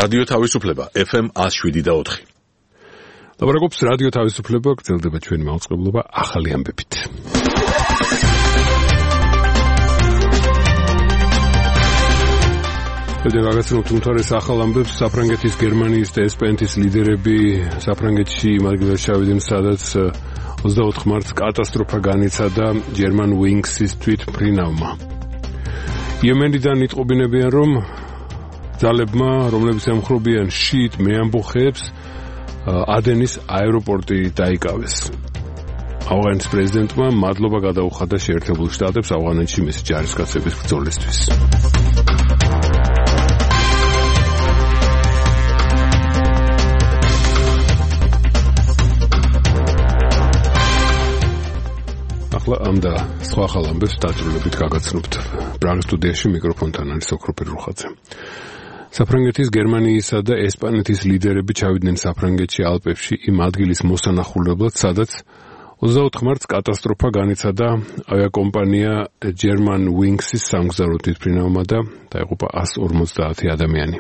რადიო თავისუფლება FM 107.4. ლაპარაკობს რადიო თავისუფლება, გრძელდება ჩვენი მაუწყებლობა ახალი ამბებით. გადაგაცნობთ უმთავრეს ახალ ამბებს. საფრანგეთის, გერმანიის და ესპანეთის ლიდერები საფრანგეთში იმ ადგილას ჩავიდნენ, სადაც 24 მარტს კატასტროფა განიცადა German Wings-ის თვითმფრინავმა. იემენიდან იტყობინებიან, რომ ძალებმა, რომლებიც ემხრობიან შიიტ მეამბოხეებს, ადენის აეროპორტი დაიკავეს. ავღანის პრეზიდენტმა მადლობა გადაუხადა შეერთებულ შტატებს ავღანეთში მისი ჯარისკაცების ბრძოლისთვის. ახლა ამ და სხვა ახალ ამბებს დაძრულებით გაგაცნობთ. პრაღის სტუდიაში მიკროფონთან არის ოქროპერ რუხაძე. საფრანგეთის, გერმანიისა და ესპანეთის ლიდერები ჩავიდნენ საფრანგეთში ალპებში იმ ადგილის მოსანახულებლად, სადაც 24 მარტს კატასტროფა განიცადა ავიაკომპანია German Wings-ის სამგზავრო თვითმფრინავმა და დაიღუპა 150 ადამიანი.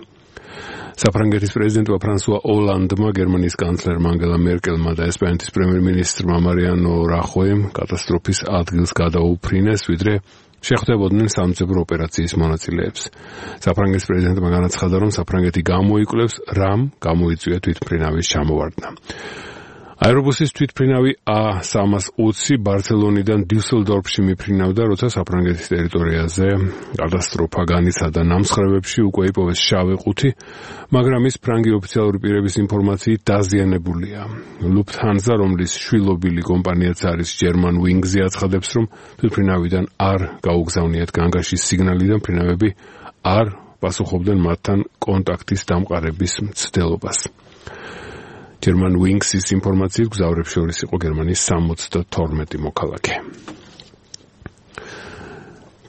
საფრანგეთის პრეზიდენტმა ფრანსუა ოლანდმა, გერმანიის კანცლერმა ანგელა მერკელმა და ესპანეთის პრემიერ-მინისტრმა მარიანო რახოიმ კატასტროფის ადგილს გადაუფრინეს, ვიდრე შეხვდებოდნენ სამძებრო ოპერაციის მონაწილეებს. საფრანგეთის პრეზიდენტმა განაცხადა, რომ საფრანგეთი გამოიკვლევს, რამ გამოიწვია თვითმფრინავის ჩამოვარდნა. აერობუსის თვითმფრინავი A320 ბარსელონიდან დიუსელდორფში მიფრინავდა, როცა საფრანგეთის ტერიტორიაზე კატასტროფა განიცადა. ნამსხრევებში უკვე იპოვეს შავი ყუთი, მაგრამ ის ფრანგი ოფიციალური პირების ინფორმაციით დაზიანებულია. Lufthansa, რომლის შვილობილი კომპანიაც არის German Wings-ი, აცხადებს, რომ თვითმფრინავიდან არ გაუგზავნიათ განგაშის სიგნალი და მფრინავები არ პასუხობდნენ მათთან კონტაქტის დამყარების მცდელობას. German Wings-ის ინფორმაციით მგზავრებს შორის იყო გერმანიის 72 მოქალაქე.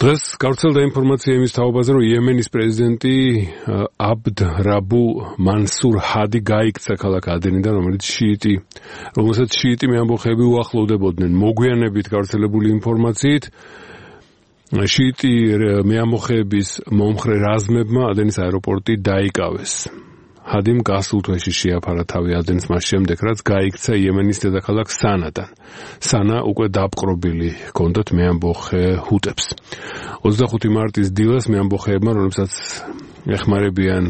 დღეს გავრცელდა ინფორმაცია იმის თაობაზე, რომ იემენის პრეზიდენტი აბდ რაბუ მანსურ ჰადი გაიქცა ქალაქ ადენიდან, რომელსაც შიიტი მეამბოხეები უახლოვდებოდნენ. მოგვიანებით გავრცელებული ინფორმაციით, შიიტი მეამბოხეების მომხრე რაზმებმა ადენის აეროპორტი დაიკავეს. ჰადიმ გასულ თვეში შეაფარა თავი ადენს მას შემდეგ, რაც გაიქცა იემენის დედაქალაქ სანადან. სანა უკვე დაპყრობილი ჰქონდათ მეამბოხე ჰუტებს. 25 მარტის დილას მეამბოხეებმა, რომლებსაც ეხმარებიან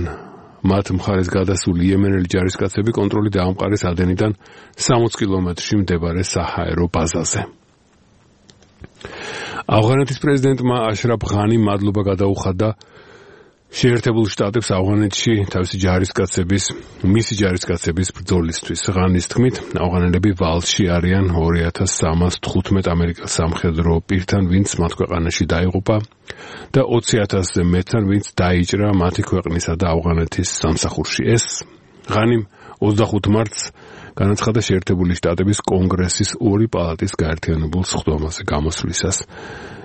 მათ მხარეს გადასული იემენელი ჯარისკაცები, კონტროლი დაამყარეს ადენიდან 60 კილომეტრში მდებარე საჰაერო ბაზაზე. ავღანეთის პრეზიდენტმა აშრაფ ღანიმ მადლობა გადაუხადა შეერთებულ შტატებს ავღანეთში მისი ჯარისკაცების ბრძოლისთვის. ღანის თქმით, ავღანელები ვალში არიან 2315 ამერიკელ სამხედრო პირთან, ვინც მათ ქვეყანაში დაიღუპა და 20,000-ზე მეტთან, ვინც დაიჭრა მათი ქვეყნისა და ავღანეთის სამსახურში. ეს ღანიმ 25 მარტს განაცხადა შეერთებული შტატების კონგრესის ორი პალატის გაერთიანებულ სხდომაზე გამოსვლისას.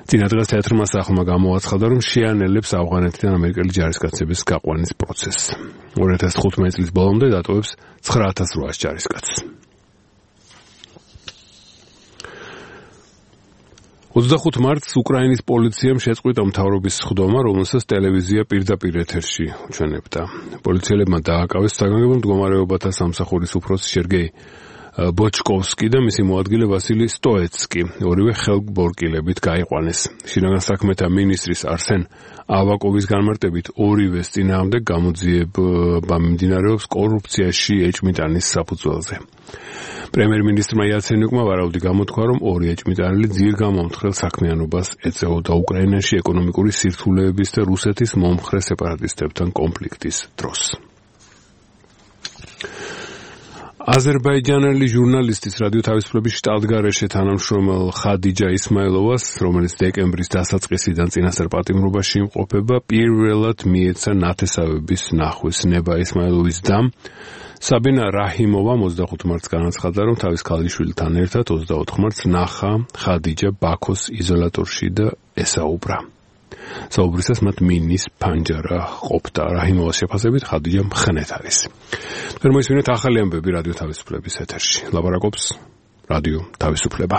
წინა დღეს თეატრმა სახლმა გამოაცხადა, რომ შეანელებს ავღანეთიდან ამერიკელი ჯარისკაცების გაყვანის პროცესს. 2015 წლის ბოლომდე დატოვებს 9800 ჯარისკაცს. 25 მარტს უკრაინის პოლიციამ შეწყვიტა მთავრობის სხდომა, რომელსაც ტელევიზია პირდაპირ ეთერში უჩვენებდა. პოლიციელებმა დააკავეს საგანგებო მდგომარეობათა სამსახურის უფროსი სერგეი ბოჩკოვსკი და მისი მოადგილე ვასილი სტოეცკი, ორივე ხელბორკილებით გაიყვანეს. შინაგან საქმეთა მინისტრის არსენ ავაკოვის განმარტებით, ორივეს წინააღმდეგ გამოძიება მიმდინარეობს კორუფციაში ეჭვმიტანის საფუძველზე. პრემიერ-მინისტრმა იაცენიუკმა ვარაუდი გამოთქვა, რომ ორი ეჭვმიტანილი ძირგამომთხრელ საქმიანობას ეწეოდა უკრაინაში ეკონომიკური სირთულეების და რუსეთის მომხრე სეპარატისტებთან კონფლიქტის დროს. აზერბაიჯანელი ჟურნალისტის რადიო თავისუფლების შტატგარეშე თანამშრომელ ხადიჯა ისმაილოვას, რომელიც დეკემბრის დასაწყისიდან წინასწარ პატიმრობაში იმყოფება, პირველად მიეცა ნათესავების ნახვის ნება. ისმაილოვის დამ საბინა რაჰიმოვამ 25 მარტს განაცხადა, რომ თავის ქალიშვილთან ერთად 24 მარტს ნახა ხადიჯა ბაქოს იზოლატორში და ესაუბრა. საუბრისას მათ მინის ფანჯარა ყოფდა. რაჰიმოვას შეფასებით ხადიჯა მხნეთ არის. მოისმინეთ ახალი ამბები რადიო თავისუფლების ეთერში. ლაპარაკობს რადიო თავისუფლება.